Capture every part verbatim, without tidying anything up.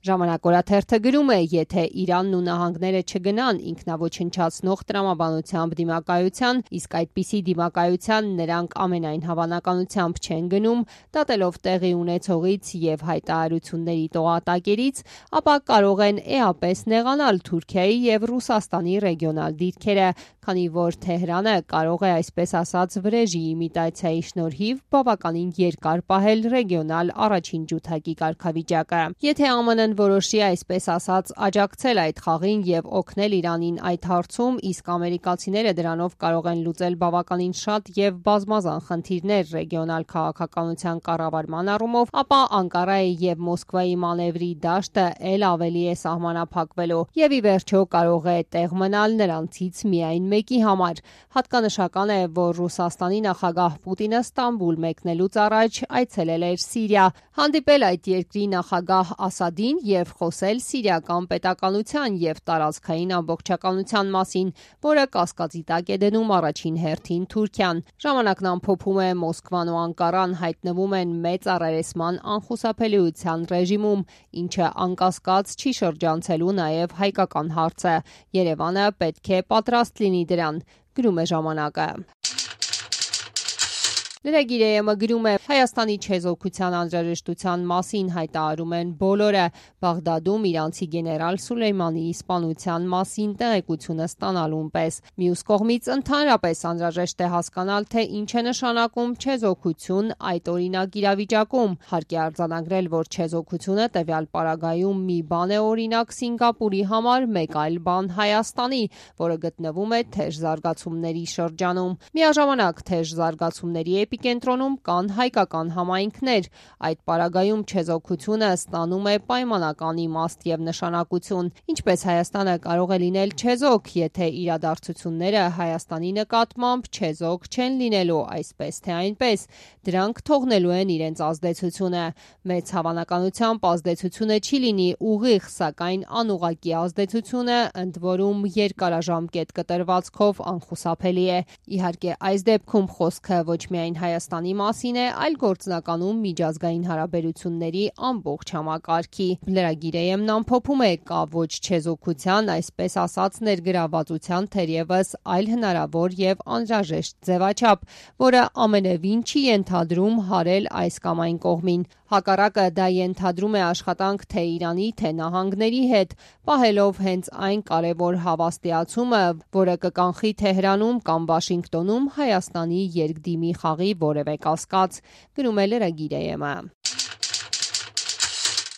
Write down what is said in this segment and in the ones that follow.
Ժամանակ օրաթերթը գրում է, եթե Իրանն ու նահանգները չգնան ինքնաոչնչացնող տրամաբանությամբ դիմակայության, իսկ այդպիսի դիմակայության նրանք ամենայն հավանականությամբ չեն գնում, դատելով տեղի ունեցողից և հայտարարությունների տողատակերից, ապա կարող են էապես նեղանալ Թուրքիայի և Ռուսաստանի ռեգիոնալ դիրքերը, քանի որ Թեհրանը կարող է այսպես ասած վրեժի իմիտացիայի շնորհիվ բավականին երկար պահել ռեգիոնալ առաջին ջութակի կարգավիճակը։ Եթե ԱՄՆ-ն որոշի այսպես ասած աջակցել այդ խաղին և օգնել Իրանին այդ հարցում, իսկ ամերիկացիները դրանով կարող են լուծել բավականին շատ և բազմազան խնդիրներ ռեգիոնալ քաղաքականության կառավարման առումով, ապա Անկարայի և Մոսկվայի մանևրի դաշտը էլ ավելի է սահմանափակվելու և ի վերջո կարող է տեղ մնալ նրանցից միայն մեկի համար։ Հատկանշական է, որ Ռուսաստանի նախագահ Պուտինը Ստամբուլ մեկնելուց առաջ այցելել էր Սիրիա, հանդիպել այդ երկրի նախագահ Ասադին և խոսել սիրիական պետականության և տարածքային ամբողջականության մասին, որը կասկածի տակ է դնում առաջին հերթին Թուրքիան։ Ժամանակն ամփոփում է, Մոսկվան ու Անկարան հայտնվում են մեծ առերեսման անխուսափելիության ռեժիմում, ինչը անկասկած չի շրջանցելու նաև հայկական հարցը։ Երևանը պետք է պատրաստ լինի դրան, գրում է ժամանակը։ Lragir.am-ը գրում է. Հայաստանի չեզոքության անհրաժեշտության մասին հայտարարում են բոլորը։ Բաղդադում իրանցի գեներալ Սուլեյմանի սպանության մասին տեղեկությունը ստանալուն պես։ Մյուս կողմից ընդհանրապես անհրաժեշտ է հասկանալ, թե ինչ է նշանակում չեզոքություն այդ օրինակ իրավիճակում։ Հարկ է արձանագրել, որ չեզոքությունը տվյալ պարագայում մի բան է օրինակ Սինգապուրի համար, մեկ այլ բան Հայաստանի, որը գտնվում է թեժ զարգացումների շրջանում։ Միաժամանակ թեժ զարգացումների էպիկենտրոնում կան հայկական համայնքներ։ Այդ պարագայում չեզոքությունը ստանում է պայմանական իմաստ և նշանակություն։ Ինչպես Հայաստանը կարող է լինել չեզոք, եթե իրադարձությունները Հայաստանի նկատմամբ չեզոք չեն լինելու այսպես թե այնպես, դրանք թողնելու են իրենց ազդեցությունը։ Մեծ հավանականությամբ ազդեցությունը չի լինի ուղիղ, սակայն անուղղակի ազդեցությունը, ընդ որում երկարաժամկետ կտրվածքով անխուսափելի է։ Իհարկե, այս դեպքում խոսքը ոչ միայն Հայաստանի մասին է, այլ գործնականում միջազգային հարաբերությունների ամբողջ համակարգի։ Lragir.am-ն ամփոփում է, կա ոչ չեզոքության, այսպես ասած ներգրավվածության թերևս այլ հնարավոր և անհրաժեշտ ձևաչափ, որը ամենևին չի ենթադրում հարել այս կամ այն կողմին։ Հակառակը դա ենթադրում է աշխատանք թե Իրանի, թե նահանգների հետ, պահելով հենց այն կարևոր հավաստիացումը, որը կկանխի Թեհրանում կամ Վաշինգտոնում Հայաստանի երկդիմի խաղի որևէ կասկած, գրում է Lragir.am-ը։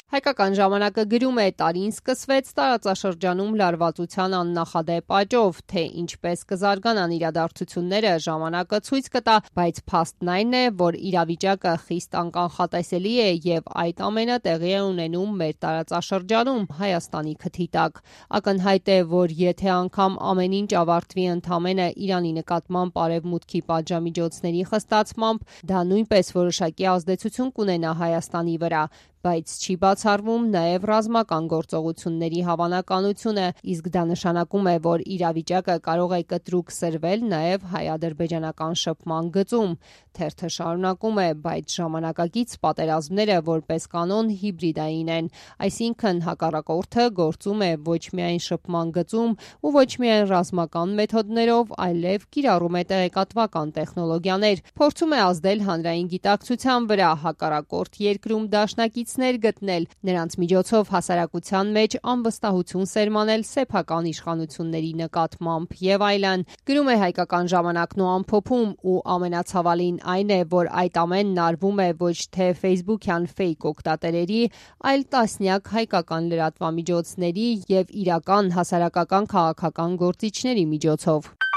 Հայկական ժամանակը գրում է. տարին սկսվեց տարածաշրջանում լարվածության աննախադեպ աճով, թե ինչպես կզարգանան իրադարձությունները ժամանակը ցույց կտա, բայց փաստն այն է, որ իրավիճակը խիստ անկանխատեսելի է և այդ ամենը տեղի է ունենում մեր տարածաշրջանում, Հայաստանի քթի տակ։ Ակնհայտ է, որ եթե անգամ ամեն ինչ ավարտվի ընդամենը Իրանի նկատմամբ Արևմուտքի պատժամիջոցների խստացմամբ, դա նույնպես որոշակի ազդեցություն կունենա Հայաստանի վրա, բայց չի բացառվում նաև ռազմական գործողությունների հավանականությունը, իսկ դա նշանակում է, որ իրավիճակը կարող է կտրուկ սրվել նաև հայ-ադրբեջանական շփման գծում։ Թերթը շարունակում է, բայց ժամանակակից պատերազմները որպես կանոն հիբրիդային են, այսինքն հակառակորդը գործում է ոչ միայն շփման գծում ու ոչ միայն ռազմական մեթոդներով, այլև կիրառում է տեղեկատվական տեխնոլոգիաներ, փորձում է ազդել հանրային գիտակցության վրա, հակառակորդ երկրում դաշնակիցներ գտնել, նրանց միջոցով հասարակության մեջ անվստահություն սերմանել սեփական իշխանությունների նկատմամբ եւ այլն, գրում է Հայկական ժամանակն ու ամփոփում, ու ամենացավալին այն է, որ այդ ամենն արվում է ոչ թե Facebook-յան ֆեյք օգտատերերի, այլ տասնյակ հայկական լրատվամիջոցների եւ իրական հասարակական քաղաքական գործիչների միջոցով։